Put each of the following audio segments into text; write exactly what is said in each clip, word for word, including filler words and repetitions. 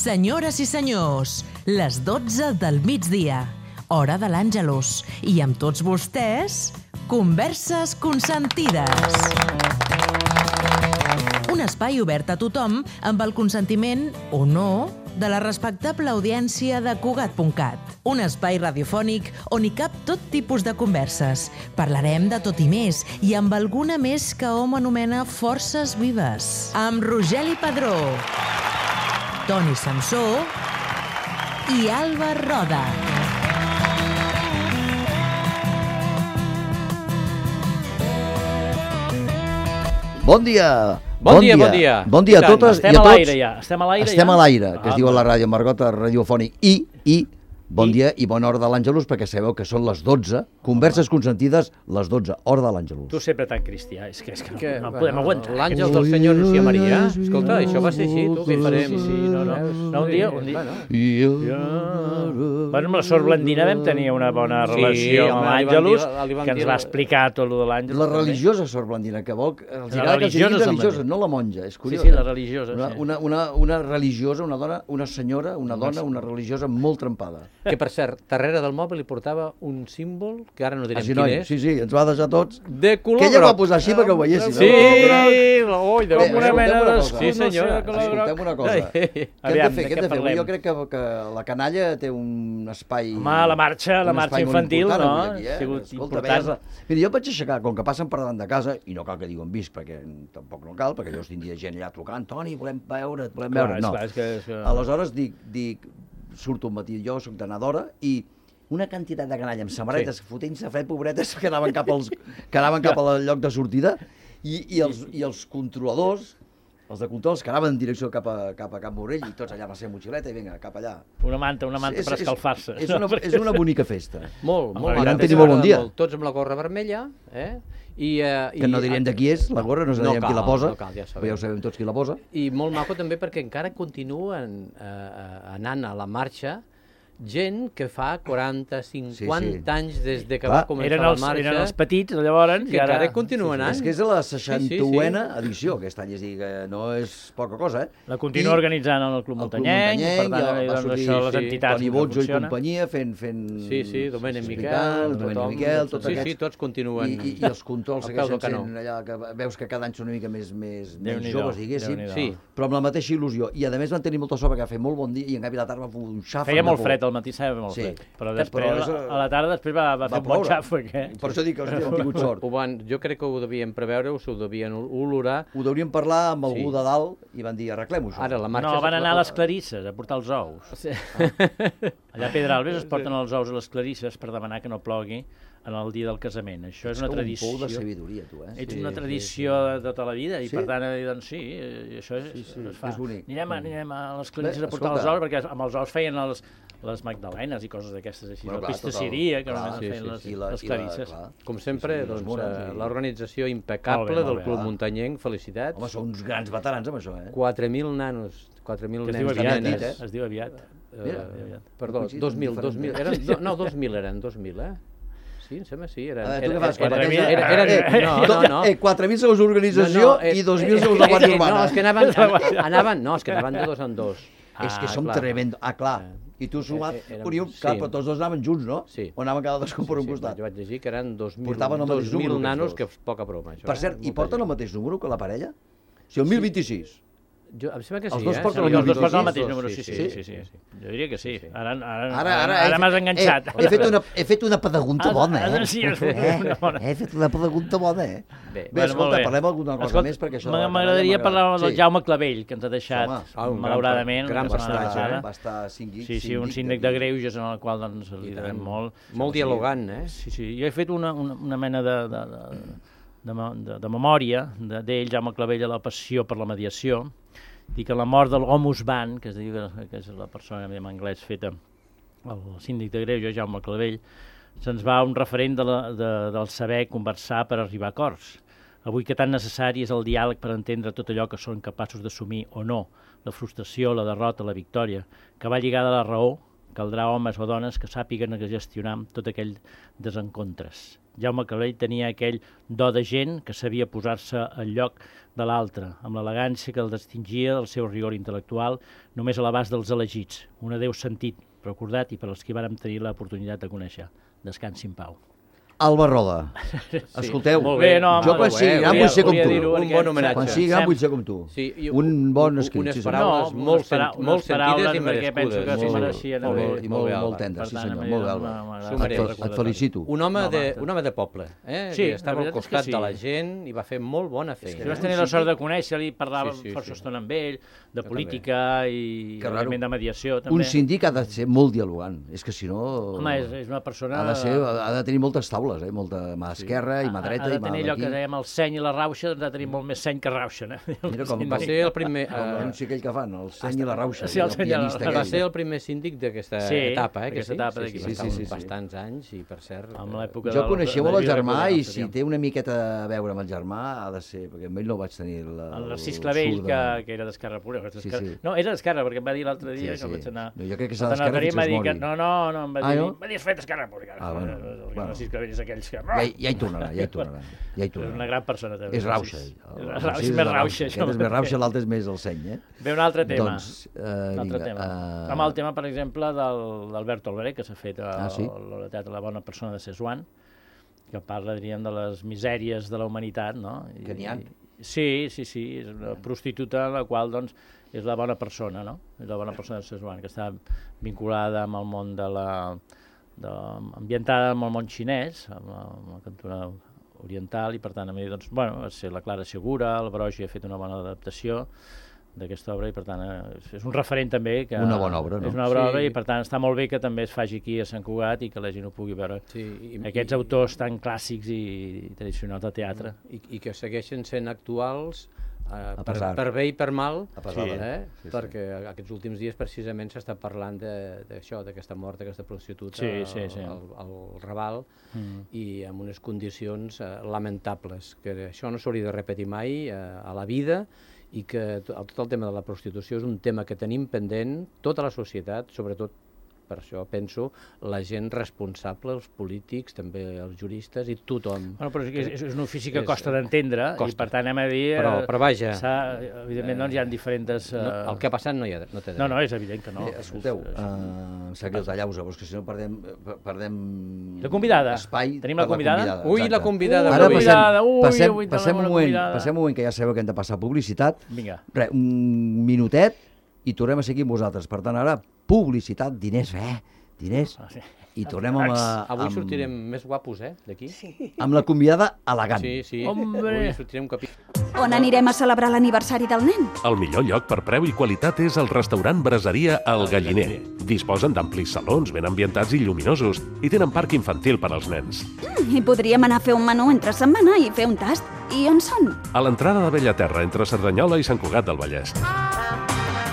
Senyores i senyors, les dotze del migdia, hora de l'Àngelus, i amb tots vostès, Converses Consentides. Un espai obert a tothom amb el consentiment, o no, de la respectable audiència de Cugat punt cat. Un espai radiofònic on hi cap tot tipus de converses. Parlarem de tot i més, i amb alguna més que hom anomena forces vives. Amb Rogeli Padró, Toni Samsó i Alba Roda. Bon dia! Bon, bon dia, bon dia. Bon dia a totes i a tots. Estem a l'aire ja. Estem a l'aire ja. Estem a l'aire, que ah, es diu a la ràdio Margota radiofònic. I, i, bon I? dia i bona hora de l'Àngelus, perquè sabeu que són les dotze, converses consentides, les dotze, hora de l'Àngelus. Tu sempre tan cristià, és que, és que, que no, no podem aguantar. L'àngel del Senyor Lucía Maria. Escolta, això va ser així, tu, què farem? Sí, sí, no, no. No, un dia... Un dia... Bueno. Ja... Bueno, amb la Sor Blandina vam tenir una bona relació sí, amb home, l'Àngelus, li van que ens dir- va explicar tot el de l'Àngelus. La religiosa Sor Blandina, que vol... Els La agrada que els diguin religiosa religiosa, Sor no la monja, és Sí, curiós. sí, eh? la religiosa, Una, sí. una, una, una religiosa, una dona, una senyora, una dona, una religiosa molt trempada. Que, per cert, darrere del mòbil li portava un símbol, que ara no direm Així, quin noi, és, sí, sí, ens va deixar tots. de color Que ella groc. va posar així perquè ho veiéssim. Sí, no? oi, de Bé, Com una escolteu mena una d'escut, cosa. Sí, senyora, no sé, de color Escolteu groc. una cosa. Què hem de Aviam, fer? de Què hem què de fer? parlem? Jo crec que, que la canalla té un espai... Home, la marxa, la un marxa espai molt infantil, important no? avui aquí, eh? Ha sigut Escolta, important. veies, mira, jo em vaig aixecar, com que passen per davant de casa, i no cal que digui on visc, perquè tampoc no cal, perquè llavors tindria gent allà trucant, Toni, volem veure, et volem Clar, veure. és No. clar, és que- és que- Aleshores dic, dic, surto un matí, jo soc de Nadora, i una quantitat de canalla amb samarretes, sí. fotent-se fred, pobretes, que anaven cap, als, que anaven cap al lloc de sortida, i, i, els, i els controladors, els de controls, que anaven en direcció cap a, cap a Can Borrell, i tots allà amb la seva motxileta, i vinga, cap allà. Una manta, una manta És- per és- escalfar-se. És, una, és una bonica festa. Molt, molt. I van tenir molt bon dia. Molt, tots amb la gorra vermella, eh? I, eh, Que no direm de qui és, la gorra, no sabem No qui la cal, posa, no cal, ja sabem. però ja ho sabem tots qui la posa. I molt maco també perquè encara continuen eh, eh, anant a la marxa gent que fa quaranta, cinquanta Sí, sí. anys des de que Clar, va començar Eren els, la marxa, eren els petits, llavors, que i ara... encara continuen anant. És que és la Sí, seixantena sí. edició, aquest any, és a dir, que no és poca cosa, eh? La continua I organitzant el Club el Club Muntanyenc, per Muntanyenc, tant, ja va doncs, sortir, això, les sí, entitats Toni que Botzo i funcionen. companyia fent... fent Sí, sí, Domènec explicant, Miquel, Domènec tothom, Miquel, tots sí, aquests. sí, tots continuen I, i, i els controls al peu del segueixen canó. sent allà, que veus que cada any són una mica més, més, més Déu-n'hi-do, joves, diguéssim, Déu-n'hi-do. Sí. però amb la mateixa il·lusió. I a més van tenir molta sort perquè va fer molt bon dia i en canvi a la tarda va fer un xàfec. Feia de molt por. fred, al matí feia molt Sí. fred. Però Però després, és, a la tarda, després va, va, va fer un bon ploure. xàfec, eh? Per això dic que hòstia, hem tingut sort. Ho van, jo crec que ho devien preveure, o s'ho devien olorar. Ho deuríem parlar amb algú Sí. de dalt i van dir, arreglem-ho això. Ara la marxa... No, van anar a les clarisses a portar els ous. Sí. Allà a Pedralbes es porten els ous a les clarisses per demanar que no plogui en el dia del casament. Això és una com tradició. un pou de sabidoria, tu, eh? Ets Sí, una sí, tradició de tota la vida i Sí? per tant, eh, doncs sí, eh, això és, Sí, sí, es fa. és bonic. Anirem, a, anirem a les clarisses Bé, a portar escolta. els ous, perquè amb els ous feien els, les magdalenes i coses d'aquestes així, Bueno, la clar, tot el- pastisseria, que clar, només sí, feien sí, les, sí. I la- les i la- clarisses. clar. Com sempre, Sí, sí, doncs, les mones eh, i- l'organització impecable Molt bé, molt del bé, Club clar. Muntanyenc, felicitats. Home, són uns grans veterans amb això, eh? quatre mil nanos, quatre mil Que es nens diu i aviat, nenes. eh? es diu aviat. Mira, Eh, perdó, coincidit dos mil, amb dos mil, diferents- eren, do- no, dos mil eren, dos mil, eh? Sí, em sembla, sí, eren... Ah, tu era- què fas? era- quatre mil? era- era- era- Eh, No, no, no. Eh, quatre mil segons organització No, no, eh, i dos mil eh, segons eh, la Guàrdia eh, Urbana. No, és que anaven, an- anaven, no, és que anaven de dos en dos. És que Ah, som clar. tremendo. Ah, clar. I tu sumat, Eh, eh, érem- Unió, sí. clar, però tots dos anaven junts, no? Sí. O anaven cadascun per un Sí, costat. jo vaig llegir que eren dos mil, Portaven el mateix dos número, mil aquests nanos, dos. que és poca broma, això. Per eh? cert, i Molta porten el gent. mateix número que la parella? O sigui, el mil vint-i-sis. Jo, em sembla que sí, Els dos eh? porten Sí, el Els dos vint-i-sis, posen el dos, mateix dos, número, sí, sí, sí, sí. Jo diria que sí. Sí, sí. Ara, ara, Ara, ara, ara, ara he m'has fet- enganxat. Eh, he, fet una, he fet una pregunta Ah, bona, ah, eh? sí, és eh? una bona. He fet una pregunta bona, eh? Bé, Bé, escolta, parlem alguna cosa Escolta, més, perquè això... de m'ag- la M'agradaria canalla parlar m'agrada. del Jaume Clavell, que ens ha deixat, Home, ah, un gran malauradament, gran la setmana personatge, passada. eh? Va estar síndic, Sí, sí, un síndic de greuges en el qual doncs, li devem molt. molt dialogant, eh? Sí, sí, jo he fet una, una, una mena de, de, de, de, me- de, de memòria de- d'ell, Jaume Clavell, a la passió per la mediació. Dic que la mort del Homus Van, que es diu que és la persona en anglès feta, el síndic de greuges, Jaume Clavell, se'ns va un referent de la, de, del saber conversar per arribar a acords. Avui que tan necessari és el diàleg per entendre tot allò que són capaços d'assumir o no, la frustració, la derrota, la victòria, que va lligada a la raó, caldrà homes o dones que sàpiguen gestionar tot aquell desencontres. Jaume Calvell tenia aquell do de gent que sabia posar-se al lloc de l'altre, amb l'elegància que el distingia del seu rigor intel·lectual, només a l'abast dels elegits, un adéu sentit, recordat i per als que vàrem tenir l'oportunitat de conèixer. Descansi en pau. Alba Roda. Escolteu, molt bé, no, jo quan sigui gran vull ser com tu. Un bon homenatge. Quan sigui gran vull ser com tu. Sí, un bon escrit. Unes sí, paraules no, molt, para, sent, molt sentides i perquè penso que merescudes. s'ho Molt, mereixien. molt, molt, i molt, bé, molt Alba. tendre, sí Per tant, senyor, a mi molt bé, m'ha- Alba. m'ha S'ho agradat mereix. recordar-ho. Et felicito. Un home, No, de, va, un home de poble, eh? Sí, que estava la al veritat és que costat sí. de la gent i va fer molt bona feina. Si vas eh? tenir la sort de conèixer-li, parlava Sí, sí, força sí. estona amb ell, de Jo política i, Que raro. òbviament, de mediació, també. Un síndic ha de ser molt dialogant. És que si no... Home, és, és una persona... Ha de, ser, ha de tenir moltes taules, eh? Molta mà esquerra i mà dreta ha de i mà tenir allò que d'aquí. dèiem el seny i la rauxa, ha de tenir molt més seny que rauxa. Eh? Mira com Va ser el primer... Com eh, l'anunci aquell que fan, el seny i la rauxa. Sí, el el seny i la pianista rauxa. va aquell. ser el primer síndic d'aquesta Sí, etapa, eh? Que d'aquesta sí? etapa sí, d'aquí. sí, Sí, sí, sí, sí, sí. bastants anys i, per cert... Amb eh, l'època Jo del- coneixia de molt el Lluís germà Recordar, i si sabíem. té una miqueta a veure amb el germà ha de ser, perquè amb ell no vaig tenir la, El Narcís el Clavell, surt que, de- que era d'Esquerra Republicana. Sí, d'Esquerra- sí. No, era d'Esquerra, perquè em va dir l'altre dia Sí, que sí. vaig anar... No, jo crec que Vaig serà anar a d'Esquerra Madrid, fins m'ha que es dit que... mori. No, no, no, em va Ah, dir... no? M'ha dit, és fet d'Esquerra Republicana. Ah, bueno, El bueno. Narcís Clavell és aquells que... Ja, hi- ja hi tornarà, ja hi tornarà. Ja hi És tornarà. una gran persona, també. És rauxa. Narcís. el És Narcís rauxa, és és més rauxa. Aquest és més rauxa, l'altre és més el seny, eh? Ve un altre tema. Doncs, eh, un altre vinga, tema. eh, Amb el tema, per exemple, del- d'Alberto Alvarez, que s'ha fet a Ah, sí? l'obra de teatre La bona persona de Szechuan, que parla, diríem, de les misèries de la humanitat, no? I- Que n'hi ha. Sí, sí, sí, és una prostituta la qual, doncs, és la bona persona, no? És la bona persona de Szechuan, que està vinculada amb el món de la... De, ambientada amb el món xinès, amb la, amb la cultura oriental, i per tant, a mi, doncs, bueno, va ser la Clara Segura, el Brogi ha fet una bona adaptació d'aquesta obra i per tant és- és un referent també que Una bona obra, no? és una bona Sí. obra i per tant està molt bé que també es faci aquí a Sant Cugat i que la gent ho pugui veure. Sí, i, Aquests i, autors tan clàssics i tradicionals de teatre. I, i que segueixen sent actuals eh, per, pesar. per bé i per mal, A pesar de- eh? sí, sí. perquè aquests últims dies precisament s'està parlant de- d'això, d'aquesta mort d'aquesta prostituta Sí, sí, sí. Al, al Raval Mm. i amb unes condicions eh, lamentables, que això no s'hauria de repetir mai eh, a la vida i que to- tot el tema de la prostitució és un tema que tenim pendent tota la societat, sobretot per això penso la gent responsable, els polítics, també els juristes i tothom. Bueno, però és, que és, és un ofici que És- costa d'entendre i costa. per tant hem de dir... Però, eh, però vaja, s'ha- evidentment doncs, hi ha diferents... Eh... no, el que ha passat no, hi ha, no té no, no, és evident que no. Eh, escolteu, És- és- eh, em sap greu tallar-vos, però és que si no perdem, per- perdem La convidada. espai Tenim la per convidada? Ui, la exacte. convidada Ui, Ara d'avui. passem, convidada, ui, passem, avui passem, tenim un una moment, convidada. passem un moment que ja sabeu que hem de passar publicitat. Vinga. Re, un minutet i tornem a seguir amb vosaltres. Per tant, ara, publicitat, diners, eh? Diners. Ah, sí. I tornem amb, la- Avui amb, sortirem més guapos, eh, d'aquí? Sí, amb la convidada elegant. sí. sí. Hombre. Avui sortirem un capítol. On anirem a celebrar l'aniversari del nen? El millor lloc per preu i qualitat és el restaurant Braseria El Galliner. Disposen d'amplis salons ben ambientats i lluminosos i tenen parc infantil per als nens. Mm, I podríem anar a fer un menú entre setmana i fer un tast. I on són? A l'entrada de Bellaterra, entre Cerdanyola i Sant Cugat del Vallès.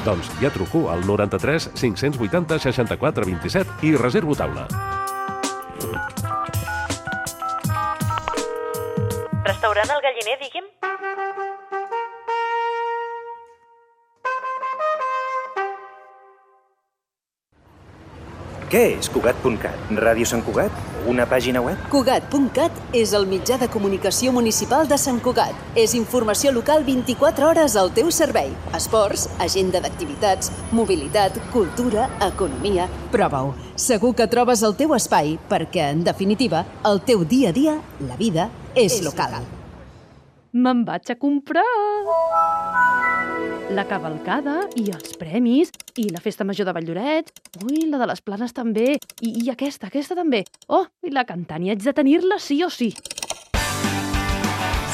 Doncs ja truco al noranta-tres cinc-cents vuitanta seixanta-quatre vint-i-set i reservo taula. Restaurant El Galliner, digui'm? Què és Cugat punt cat? Ràdio Sant Cugat? Una pàgina web? Cugat punt cat és el mitjà de comunicació municipal de Sant Cugat. És informació local vint-i-quatre hores al teu servei. Esports, agenda d'activitats, mobilitat, cultura, economia... Prova-ho. Segur que trobes el teu espai perquè, en definitiva, el teu dia a dia, la vida, és, és local. local. Me'n vaig a comprar la cavalcada i els premis i la festa major de Valldorets. Ui, la de les Planes també. I, i aquesta, aquesta també. Oh, i la Cantània haig de tenir-la sí o sí.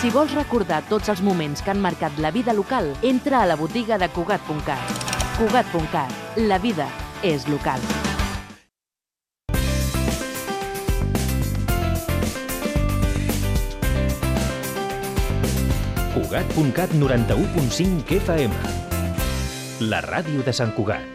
Si vols recordar tots els moments que han marcat la vida local, entra a la botiga de Cugat punt cat. Cugat punt cat. La vida és local. Cugat punt cat noranta-u punt cinc F M. La ràdio de Sant Cugat.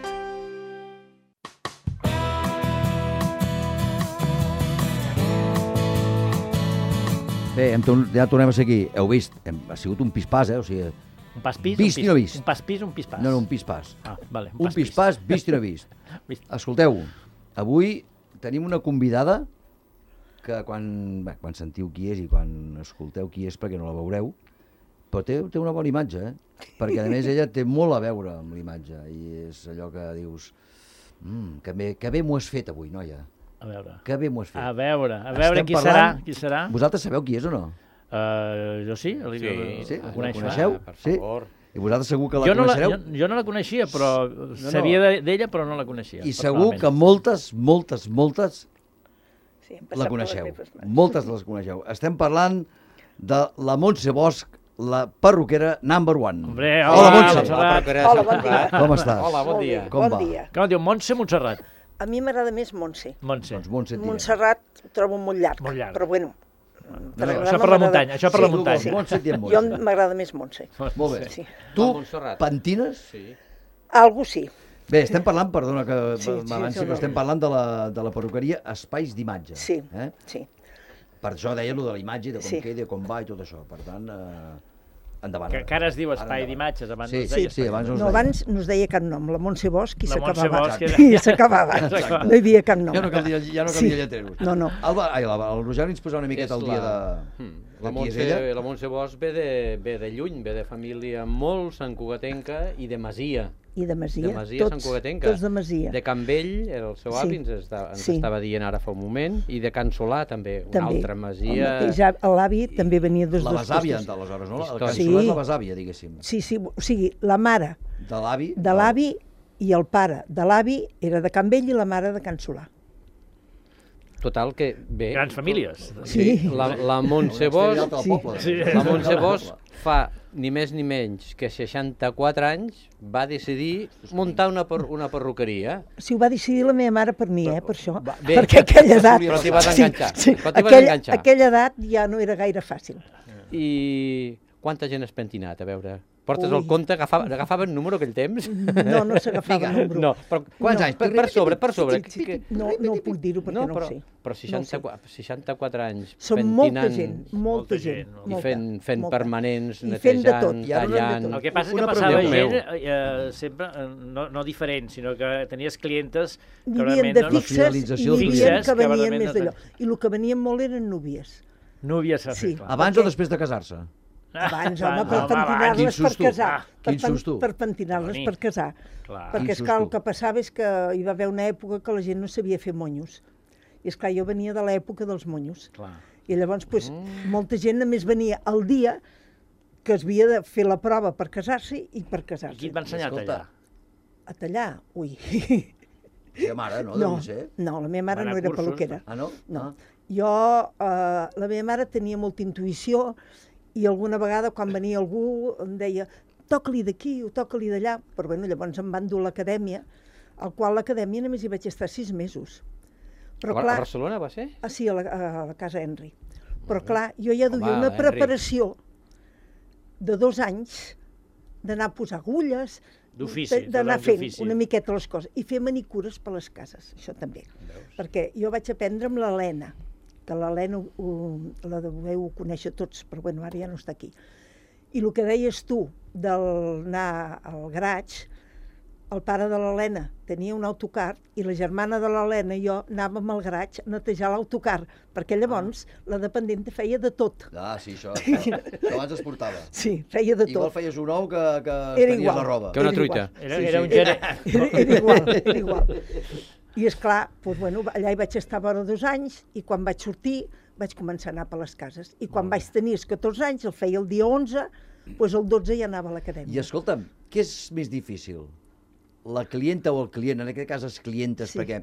Bé, hem, torn- ja tornem a ser aquí. Heu vist, hem, ha sigut un pispàs, eh? O sigui, Un pas pis, Vist un i no vist. Un pas pis, un pispàs. no, no, un pispàs. Ah, vale, Un pispàs vist i no vist. Vist. Escolteu, avui tenim una convidada que quan, bé, quan sentiu qui és i quan escolteu qui és, perquè no la veureu, però té, té una bona imatge, eh? Perquè, a més, ella té molt a veure amb l'imatge, i és allò que dius, mm, que bé, que bé m'ho has fet avui, noia. A veure. Que bé m'ho has fet. A veure, a veure Estem qui parlant... serà, qui serà. Vosaltres sabeu qui és o no? Uh, jo sí, el, Sí, el, sí, el la coneixo. coneixeu? Ah, per Sí. favor. I vosaltres segur que la jo no coneixereu? La, jo, jo no la coneixia, però no. sabia de- d'ella, però no la coneixia. I segur que moltes, moltes, moltes Sí, hem la passat per les coneixeu. meves mans. Moltes les coneixeu. Estem parlant de la Montse Bosch, la perruquera number one. Hombre, hola, hola, Montse. Montserrat. Hola, bon dia. Com estàs? Hola, bon Molt dia. bé, Com bon va? dia. Com es diu? Montse Montserrat? A mi m'agrada més Montse. Montse. Doncs Montse tira. Montserrat ho trobo molt llarg, Molt llarg. però bueno. No, per no, agradar-me això per la m'agrada- muntanya, això per la Sí, muntanya. sí. Montse tira Jo Montse. m'agrada més Montse. Molt bé. Sí. Tu, La Montserrat. pentines? Sí. Algo sí. Bé, estem parlant, perdona que Sí, sí, m'avanci, sí, però sí. estem parlant de la, de la perruqueria Espais d'Imatge. Sí, Eh? sí. Per això deia allò de la imatge, de com Sí. queda, com va i tot això. Per tant, eh, endavant. Que, que ara es diu Ara espai endavant. d'imatges, abans Sí, no es sí, deia sí, espai abans no d'imatges. es No, deia. abans no es deia cap nom, la Montse Bosch i La Montse s'acabava. Bosch era- I s'acabava. Exacte. No hi havia cap nom. Ja no calia, ja no calia lletreros. No, no. El, ai, el, el Roger ens posava una miqueta És al dia la- de... Hmm. de La qui és Montse, ella. la Montse Bosch ve de, ve de lluny, ve de família molt santcugatenca i de masia. I de Masia. De Masia tots, santcugatenca. tots de Masia. De Can Vell, era el seu Sí. avi, ens, està, ens Sí. estava dient ara fa un moment, i de Can Solà també, una També. altra El masia. mateix av- L'avi també venia dels La dos besàvia, costos. aleshores, no? El Història. cançoler és la Sí. besàvia, diguéssim. Sí, sí, o sigui, la mare De l'avi. de l'avi i el pare de l'avi era de Can Vell i la mare de Can Solà. Total, que bé... Grans famílies. Sí, Sí. la, la Montse Una estrella Bosch, del poble. Sí. la Montse Bosch fa ni més ni menys que seixanta-quatre anys va decidir muntar una, per, una perruqueria. Si ho va decidir la meva mare per mi, eh, per això. Va, bé. Perquè aquella edat... Però t'hi vas enganxar. Sí, sí, Però t'hi vas aquella, enganxar. aquella edat ja no era gaire fàcil. I quanta gent has pentinat, a veure? Portes Ui. el compte, agafava, agafaven número aquell temps? No, no s'agafava número. No, però quants No. anys? Per, per sobre, per sobre. Sí, sí, sí. No, no puc dir-ho perquè no, però, ho sé. Però seixanta-quatre, seixanta-quatre anys Són pentinant molta gent, molta molta gent. gent, i molta, fent, fent molta. permanents, I fent de tot. netejant, I ara no hem de tallant... tot. El que passa és que Una passava pregunta. gent eh, sempre, eh, no, no diferent, sinó que tenies clientes que N'hi havia realment... de doncs, fixes i fidelització n'hi del havia client. que venien Fixes, més que d'allò. I el que venien molt eren núvies. Núvies s'ha Sí. fet, clar. Abans o després de casar-se? Abans, Va, home, no, per home, pentinar-les quin per susto. casar. Ah, Per, quin pen- susto. per pentinar-les Toni. per casar. Clar. Perquè, Quin esclar, el susto. que passava és que hi va haver una època que la gent no sabia fer monyos. I, esclar, jo venia de l'època dels monyos. Clar. I llavors, pues, molta gent només venia el dia que es havia de fer la prova per casar-se i per I casar-se. qui et va ensenyar a Escolta. tallar? A tallar? Ui. La mare, no? No, Deu ser. no, la meva mare Va anar no a era cursos, peluquera. Ah, no? No. Ah. Jo, eh, la meva mare tenia molta intuïció i alguna vegada quan venia algú em deia toca-li d'aquí o toca-li d'allà, però bueno, llavors em van dur a l'acadèmia, al qual l'acadèmia només hi vaig estar sis mesos. Però A, clar, a Barcelona va ser? ah, sí, a la, a la casa Henry. Però clar, jo ja duia Home, una Henry. preparació de dos anys d'anar a posar agulles, D'ofici, de- d'anar tot fent d'ofici. una miqueta les coses, i fer manicures per les cases, això també. Perquè jo vaig aprendre amb l'Helena, que l'Helena ho- ho- la deveu conèixer tots, però bueno, ara ja no està aquí. I el que deies tu d'anar al garatge, el pare de l'Helena tenia un autocar i la germana de l'Helena i jo anàvem al garatge a netejar l'autocar, perquè llavors la dependenta feia de tot. Ah, sí, això, això abans es portava. Sí, feia de Igual tot. feies un ou que, que Era estenies igual. la roba. Que una Era truita. igual. Era, Sí, era sí. un gerent. Era, era igual, era igual. I és clar, doncs, bueno, allà hi vaig estar vora dos anys i quan vaig sortir vaig començar a anar per les cases. I quan vaig tenir els catorze anys, el feia el dia onze, doncs el dotze ja anava a l'acadèmia. I escolta'm, què és més difícil? La clienta o el client? En aquest cas, els clientes, Sí. perquè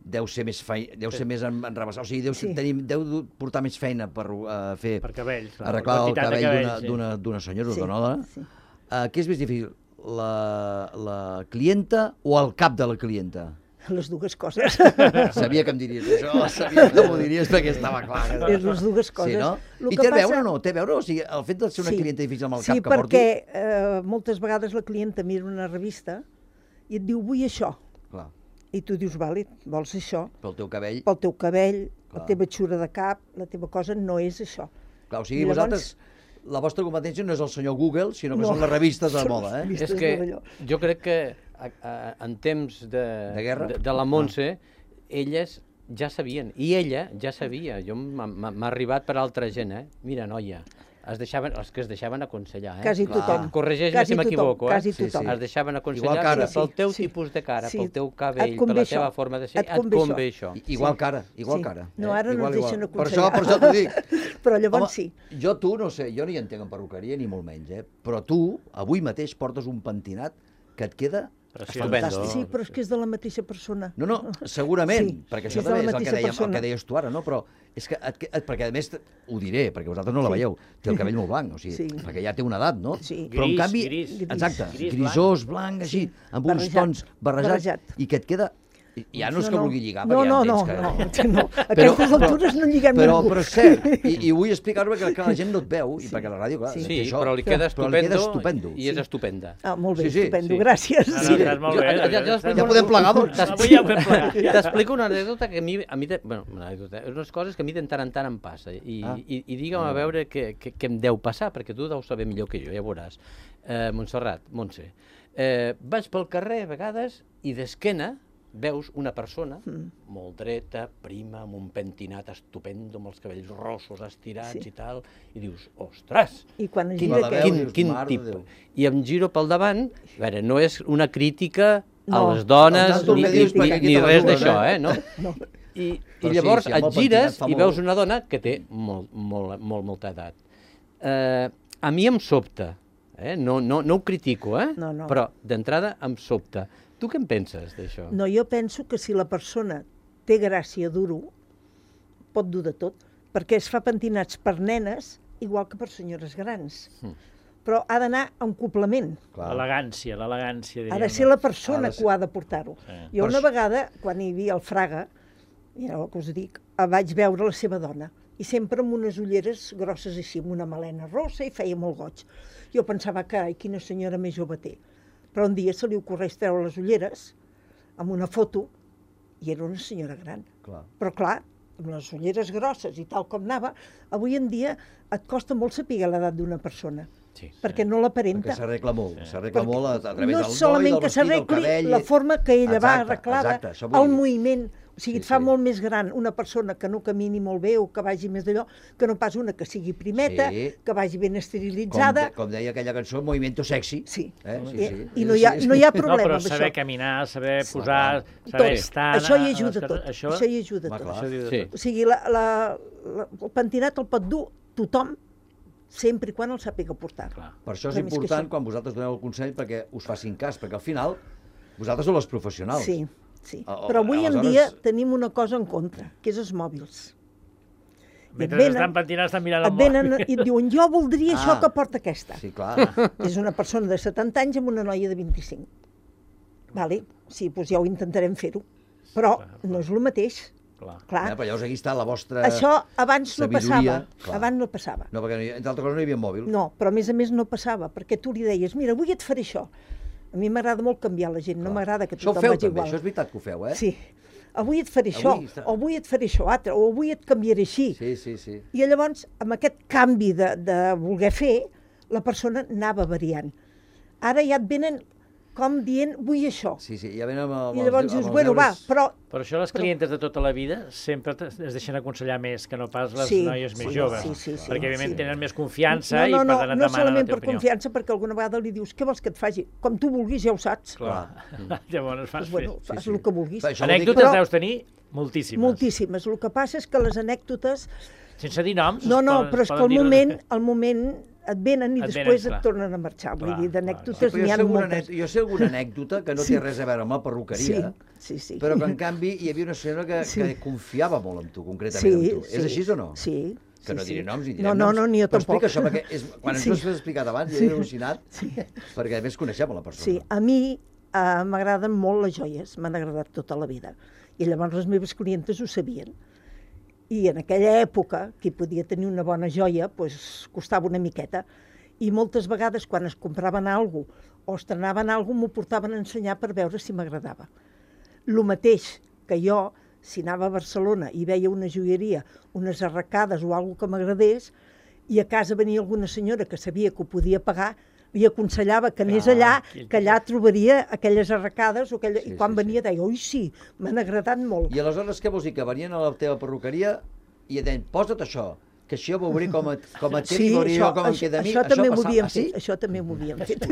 deu ser més feina, deu ser més en, enrabassat, o sigui, deu, Sí. tenir, deu du- portar més feina per uh, fer, Per cabells, clar, arreglar el quantitat de cabell d'una cabells, sí. d'una d'una senyora o Sí, d'una dona. sí. Uh, què és més difícil? La, la clienta o el cap de la clienta? Les dues coses. Sabia que em diries això, sabia que m'ho diries perquè estava clar. Que... És les dues coses. Sí, no? Lo I que té a passa- veure o no? Té a veure? O sigui, el fet de ser una Sí. clienta difícil amb el Sí, cap que porti... perquè eh, moltes vegades la clienta mira una revista i et diu, vull això. Clar, I tu dius, vale, vols això? pel teu cabell... Pel teu cabell, Clar. la teva xura de cap, la teva cosa no és això. Clar, o sigui, I llavors- vosaltres, la vostra competència no és el senyor Google, sinó que No. són les revistes de Són moda, eh? revistes. És que d'allò. jo crec que a, a, en temps de, De guerra? de, de la Montse, elles ja sabien, i ella ja sabia, jo m'ha arribat per altra gent, eh? Mira, noia, es deixaven, els que es deixaven aconsellar, eh? Quasi tothom. Corregeix-me si m'equivoco, eh? Quasi tothom. Es deixaven aconsellar, mira, pel teu tipus de cara, pel teu cabell, per la teva forma de ser, et convé això. Igual cara, igual cara. No, ara no ens deixen aconsellar. Per això, per això t'ho dic. Però llavors sí. Jo tu, no sé, jo no hi entenc en perruqueria, ni molt menys, eh? Però tu, avui mateix, portes un pentinat que et queda fantàstic. Sí, però és que és de la mateixa persona. No, no, segurament, sí, perquè això també és el que, dèiem, el que deies tu ara, no? Però és que, et, et, perquè a més, ho diré, perquè vosaltres no la veieu, té el cabell molt blanc, o sigui, sí. perquè ja té una edat, no? Sí. Però en canvi, gris, exacte, gris, grisós, blanc, així, sí. amb uns barrejat, tons barrejats, barrejat. i que et queda... Ja no és que no, no. vulgui lligar, no, perquè no, ja no, entens que... no, no, a aquestes altures no lliguem però, ningú. Però és cert, i, i vull explicar-ho perquè la gent no et veu, i sí. perquè la ràdio, clar, sí, sí, això, però li queda estupendo, li queda estupendo. I és estupenda. Ah, molt bé, sí, sí, estupendo, sí. gràcies. No, no, estàs molt bé. Ja, ja, ja, ja podem plegar, doncs. Avui ja podem plegar. T'explico una anècdota que a mi, a mi de, bueno, una anècdota, és unes coses que a mi de tant en tant em passa, i, ah. i, i digue'm a veure què, què, què em deu passar, perquè tu deus saber millor que jo, ja veuràs. Eh, Montserrat, Montse, eh, vaig pel carrer a vegades i d'esquena veus una persona mm. molt dreta, prima, amb un pentinat estupendo, amb els cabells rossos estirats sí. i tal, i dius, ostres, I quan quin, gira quin, dius, quin tipus. I em giro pel davant, a veure, no és una crítica no, a les dones, no, ni, dius, ni, ni res d'això, eh? No? no. I, i llavors sí, si et gires i veus una dona que té molt, molt, molt, molta edat. Eh, a mi em sobta, eh? no, no, no ho critico, eh? no, no. però d'entrada em sobta. Tu què en penses d'això? No, jo penso que si la persona té gràcia duro, pot dur de tot, perquè es fa pentinats per nenes igual que per senyores grans. Mm. Però ha d'anar en complement. L'elegància, l'elegància. Ha de ser la persona que ho ha de portar-ho. Sí. Jo una vegada, quan hi havia el Fraga, ja el que us dic, vaig veure la seva dona, i sempre amb unes ulleres grosses així, amb una melena rossa, i feia molt goig. Jo pensava, carai, quina senyora més jove té. Però un dia se li ocorreix treure les ulleres amb una foto i era una senyora gran. Clar. Però clar, amb les ulleres grosses i tal com anava, avui en dia et costa molt saber l'edat d'una persona. Sí, perquè sí. no l'aparenta. Perquè s'arregla molt, sí. s'arregla molt a, a través no del solament noi, del que vestit, del s'arregli cabell... la forma que ella exacte, va arreglada, exacte, el moviment, o sigui, sí, et fa sí. molt més gran una persona que no camini molt bé o que vagi més d'allò, que no pas una que sigui primeta, sí. que vagi ben esterilitzada. Com, de, com deia aquella cançó, movimiento sexy. Sí, eh? sí, I, sí. i no hi ha, no hi ha problema no, però amb saber això. caminar, saber posar, saber tot. estar... Això hi ajuda tot, això, això hi ajuda Va, tot. això sí. O sigui, la, la, la, el pentinat el pot dur tothom, sempre i quan el sàpiga portar. Clar. Per això és Però important que quan vosaltres doneu el consell perquè us facin cas, perquè al final vosaltres sou els professionals. Sí, sí. O, però avui aleshores... en dia tenim una cosa en contra, que és els mòbils. Mentre venen, estan pentinats estan mirant el mòbil. Et venen i et diuen, jo voldria ah, això que porta aquesta. Sí, clar. És una persona de setanta anys amb una noia de vint-i-cinc. Vale? Sí, doncs ja ho intentarem fer-ho. Però no és el mateix. Clar. Clar. Ja, però llavors aquí està la vostra Això abans no sabidoria. passava. Clar. Abans no passava. No, perquè entre altres coses no hi havia mòbil. No, però a més a més no passava, perquè tu li deies, mira, avui et faré això. A mi m'agrada molt canviar la gent, Clar. no m'agrada que tothom feu, vagi també. igual. Això és veritat que ho feu, eh? Sí. Avui et faré avui això, està... o avui et faré això altre, o avui et canviaré així. Sí, sí, sí. I llavors, amb aquest canvi de, de voler fer, la persona anava variant. Ara ja et venen com dient, vull això. Sí, sí, ja venen amb, amb I llavors dius, bueno, va, però... Per això les clientes però... de tota la vida sempre es deixen aconsellar més que no pas les sí, noies més sí, joves. Sí, sí, sí, perquè, evidentment, sí. tenen més confiança no, no, i per no, tant et no demanen solament la teva per opinió. confiança, perquè alguna vegada li dius, què vols que et faci? Com tu vulguis, ja ho saps. Clar. Llavors fas pues, bueno, fas sí, sí. el que vulguis. Anècdotes però, deus tenir moltíssimes. Moltíssimes. El que passa és que les anècdotes... Sense dir noms... No, no, poden, però és que al moment, al moment et venen i et després venen, et tornen a marxar. Vull dir, d'anècdotes sí, n'hi ha moltes. Jo sé alguna anècdota que no té res a veure amb la perruqueria, sí, sí, sí. però que en canvi hi havia una senyora que, sí. que confiava molt en tu, concretament sí, en tu. Sí, és així o no? Sí. Que no sí, diré sí. noms, ni direm no, no, noms. No, ni jo però tampoc. explica això, perquè és, quan ens sí. ho has explicat abans, sí. jo he al·lucinat, sí. perquè a més coneixem la persona. Sí, a mi uh, m'agraden molt les joies, m'han agradat tota la vida. I llavors les meves clientes ho sabien. I en aquella època, qui podia tenir una bona joia, pues, costava una miqueta. I moltes vegades, quan es compraven alguna cosa o estrenaven alguna cosa, m'ho portaven a ensenyar per veure si m'agradava. Lo mateix que jo, si anava a Barcelona i veia una joieria, unes arracades o alguna que m'agradés, i a casa venia alguna senyora que sabia que ho podia pagar, li aconsellava que anés allà, que allà trobaria aquelles arracades, o aquella... i quan venia deia, oi, sí, m'han agradat molt. I aleshores què vols dir? Que venien a la teva perruqueria i et deien, posa't això, que això ja veuré com et, com et quedi, sí, veuré això, com em això, queda a mi. això també m'ho havien ah, sí? fet, això també m'ho havien fet.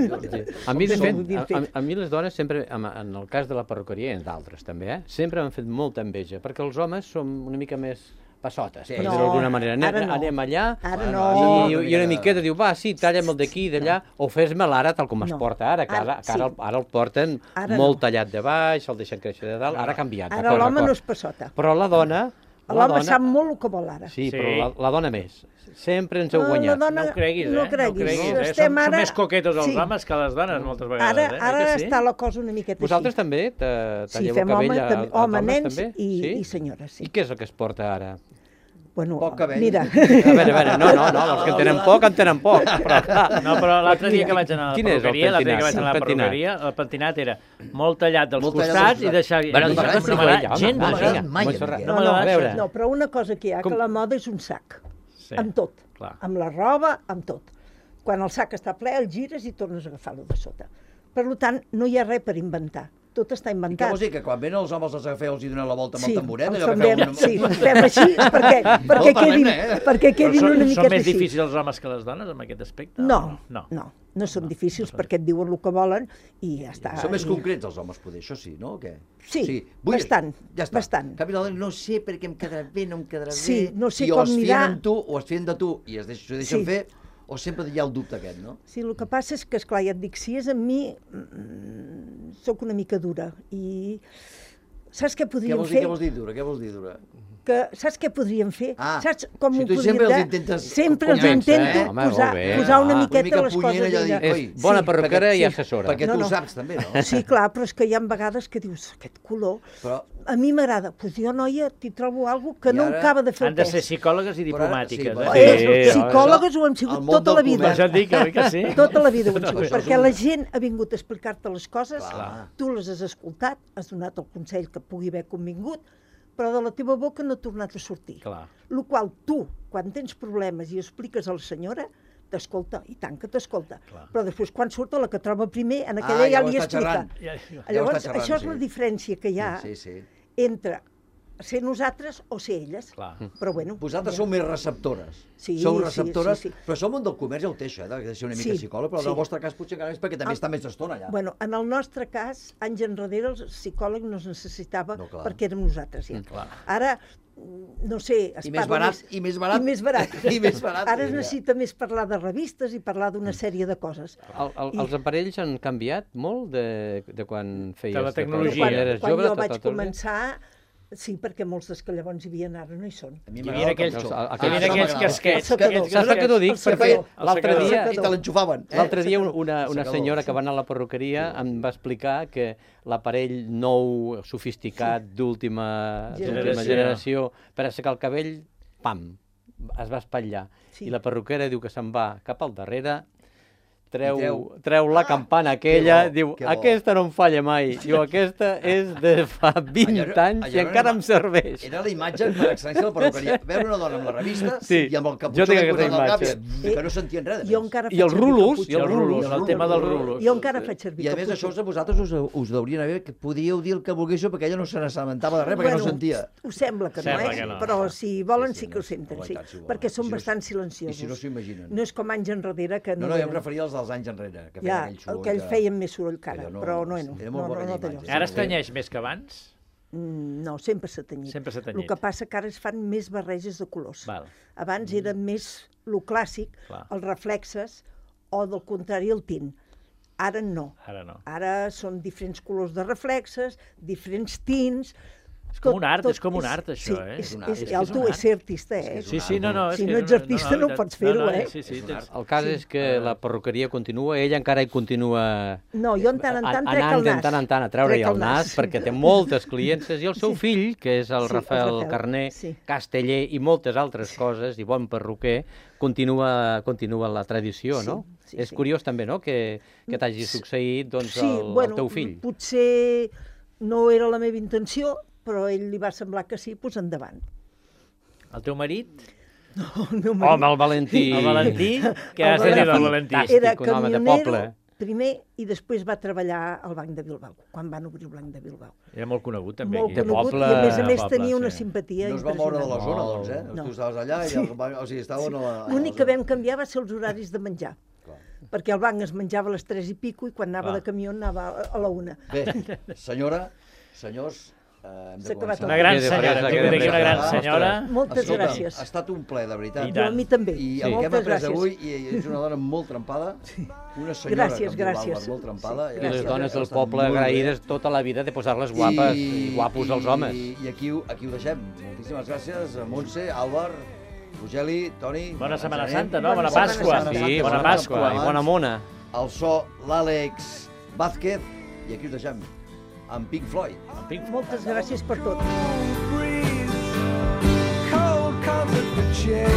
A mi, de fet, a, a mi les dones sempre, en el cas de la perruqueria i en d'altres també, eh, sempre m'han fet molta enveja, perquè els homes som una mica més passotes, sí. per dir-ho d'alguna manera. Anem, no. anem allà ara no. i, i una miqueta diu, va, sí, talla'm el d'aquí i d'allà, no. o fes-me'l ara tal com es no. porta ara, que ara, ara, que ara, sí. el, ara el porten ara molt no. tallat de baix, el deixen créixer de dalt, ara ha canviat. Ara l'home no és passota. Però la dona... L'home sap molt el que vol ara. Sí, sí. però la, la dona més. Sempre ens heu guanyat. La dona, no ho creguis, eh? No creguis. No creguis, eh? Estem som, ara... som més coquetos els sí. homes que les dones, moltes vegades. Ara, eh? ara sí? està la cosa una miqueta Vosaltres així. també talleu sí, el cabell home, a, també, a home, dones nens també? I, sí? i senyores, sí. I què és el que es porta ara? Bueno, poc cabell. Mira. A veure, a veure, no, no, no, els que en tenen poc, en tenen poc. Però, no, però l'altre dia que vaig anar a la perruqueria, l'altre dia que vaig anar a la pentinat? perruqueria, el pentinat era molt tallat dels Molt tallat costats dels i deixar... Bueno, no això m'agrada ja, gens, home, això. mai, Montserrat, No, no, no, a veure. no, però una cosa que hi ha, Com- que la moda és un sac. Sí, Amb tot. clar. Amb la roba, amb tot. Quan el sac està ple, el gires i tornes a agafar-lo de sota. Per tant, no hi ha res per inventar. Tot està I què inventat. vols dir? Que quan venen els homes els agafeu, els hi donen la volta amb Sí, el tamboret? els allò que fem, feu una- sí, fem així perquè, perquè, Molt quedin, parlem, eh? perquè Però quedin són, una són miqueta més així. difícils els homes que les dones en aquest aspecte? No, no. no, no són difícils perquè et diuen el que volen i ja està. Són més I- concrets els homes, poder, això sí, no? O què? Sí, bastant, ja està. bastant. En canvi, la dona, no sé perquè em quedarà bé, no em quedarà Sí, bé. no sé I o com es anirà. fien amb tu, o es fien de tu, i es deixen, s'ho deixen Sí. fer, o sempre hi ha el dubte aquest, no? Sí, el que passa és que, esclar, ja et dic, si és amb mi, mm, sóc una mica dura i saps què Què podríem vols dir, fer? què vols dir dura? Què vols dir dura? Que, saps què podríem fer? Ah, saps com si ho tu podríem sempre els de- intentes Sempre els convèncer, intento eh? Home, posar, molt bé. posar una Ah, miqueta una mica les punyent coses allò de d'ella. dir, És oi, bona sí, perruquera perquè- i assessora. Perquè No, tu no. ho saps també, no? Sí, clar, però és que hi ha vegades que dius, aquest color, Però, a mi m'agrada. Doncs jo, noia, t'hi trobo alguna que I no ara acaba de fer Han el de pes. ser psicòlogues i Però ara- diplomàtiques. sí, eh? Sí, Eh, sí, psicòlogues ho hem el sigut món tota del la vida. comerç. Ja et dic, oi que sí? Tota la vida ho hem sigut, Això és perquè un- la gent ha vingut a explicar-te les coses, Clar. tu les has escoltat, has donat el consell que pugui haver convingut, però de la teva boca no ha tornat a sortir. Clar. Lo qual tu, quan tens problemes i expliques a la senyora, t'escolta, i tant que t'escolta. Però després, quan surt la que troba primer, en aquella Ah, ja ja ho li està explica. xerrant. Ja, ja. ho Llavors, està xerrant, això és sí. la diferència que hi ha Sí, sí. entre ser nosaltres o ser elles. Clar. Però bueno... Vosaltres ja. sou més receptores. Sí, Sou sí, receptores, sí, sí. però som un del comerç ja ho té, això, eh, de ser una mica Sí, psicòleg, però sí. en el vostre cas potser encara més perquè també Ah, està més estona allà. Bueno, en el nostre cas, anys enrere, el psicòleg no es necessitava No, clar. perquè érem nosaltres ja. Clar. Ara, no sé... Es I més parla barat, i més barat. I més barat. I més barat, Ara es ja. necessita més parlar de revistes i parlar d'una sèrie de coses. El, el, I- els aparells han canviat molt de, de quan feies... De la tecnologia. Quan, quan eres quan jove, jo tot- vaig tot el dia? començar, sí, perquè molts dels que llavors hi havia ara no hi són. A mi Hi m'agrada havia el aquells, capçó. hi hi havia havia aquells m'agrada. casquets. El secador. aquells Saps per què t'ho dic? El secador. Perquè El l'altre secador. dia... I te l'enxufaven. Eh? L'altre dia una, una Secador. senyora que va anar a la perruqueria em va explicar que l'aparell nou, sofisticat, d'última Generació. generació, per assecar el cabell, pam, es va espatllar. Sí. I la perruquera diu que se'n va cap al darrere, treu, I treu- treu la campana aquella, que bo, diu, que bo. aquesta no em falla mai. Diu, aquesta és de fa vint Allò- anys allò i era encara una- em serveix. Era la imatge per excel·lència de la perruqueria. Veure una dona amb la revista Sí, i amb el jo caputxó tinc que aquesta posat al cap, imatge. i- que no sentien res. de Jo més. encara I els faig servir rulos, caputxó. i els rulos. El tema dels rulos. Jo encara faig servir I a més caputxó. això a vosaltres us, us deurien haver, que podíeu dir el que volguéssiu perquè ella no se n'assabentava de res, perquè no sentia. Ho sembla que Sembla no, eh? que no. Però si volen Sí, sí, sí, que ho no, senten, home, sí, i tant, si volen. perquè I són si no- bastant I silenciosos. si no s'ho imaginen. No és com anys enrere que No, no... no, jo em eren- referia als dels anys enrere, que feien Ja, aquell soroll. el que ells que- feien més soroll que ara, allò no- però no, no, era no, molt no, bona no té imatge. lloc. Ara es tenyeix més que abans? Mm, No, sempre s'ha tenyit. Sempre s'ha El tenyit. que passa que ara es fan més barreges de colors. Val. Abans era més lo clàssic, Clar. els reflexes, o del contrari el tint. Ara no. Ara no. Ara són diferents colors de reflexes, diferents tints... És com un art, és com un art, això, sí, eh? És, És un és, art. és, És que és tu un és ser artista, eh? Sí, sí, no, no. és Si que no ets artista no i tant. pots fer-ho, No, no, eh? Sí, sí, tens... El cas és que la perruqueria continua, ella encara hi continua No, jo en tant en tant trec anant el de nas. tant en tant a treure-hi Trec el nas, perquè té moltes clientes, i el seu Sí. fill, que és el Sí, el Rafael Rafael, Carner, sí. casteller i moltes altres coses, i bon perruquer, continua, continua la tradició, Sí, no? sí, és sí. curiós també, no?, que, que t'hagi succeït doncs, Sí, el, bueno, el teu fill. potser no era la meva intenció, però a ell li va semblar que sí, doncs endavant. El teu marit? No, el meu marit. Home, el Valentí. El Valentí? Què has de dir del Valentí? Era un home de camionero poble. primer i després va treballar al Banc de Bilbao, quan van obrir el Banc de Bilbao. Era molt conegut, també. Molt aquí. conegut, poble, i a més a més poble, tenia una sí. simpatia No es va moure de la impressionant. zona, doncs, eh? No. Tu estaves allà i... El, o sigui, estaven a la... L'únic que vam canviar va ser els horaris de menjar. Clar. Perquè el banc es menjava a les tres i pico i quan anava Clar. de camió anava a- a la una. Bé, senyora, senyors, eh, hem de S'ha acabat començar. Una gran Queda senyora, fresa, tu queda d'aquí una gran fresa. senyora. Moltes Escolta, gràcies. Ha estat un ple, de veritat. I Jo a mi també. I Sí. el que hem Moltes après gràcies. avui, i és una dona molt trempada, una senyora Gràcies, que em diu gràcies. l'Àlvar, molt trempada. Sí, I les gràcies. dones del Ha estat poble molt bé. agraïdes tota la vida de posar-les guapes i, guapos als homes. I, i aquí, ho- aquí ho deixem. Moltíssimes gràcies a Montse, Àlvar, Rogeli, Toni... Bona Setmana Genet, Santa, no? Bona Bona Pasqua. Setmana Sí, Bona bona Pasqua. Pasqua i bona mona. El so, l'Àlex Vázquez, i aquí us deixem amb Pink Floyd. Moltes gràcies per tot. Cold comfort for change.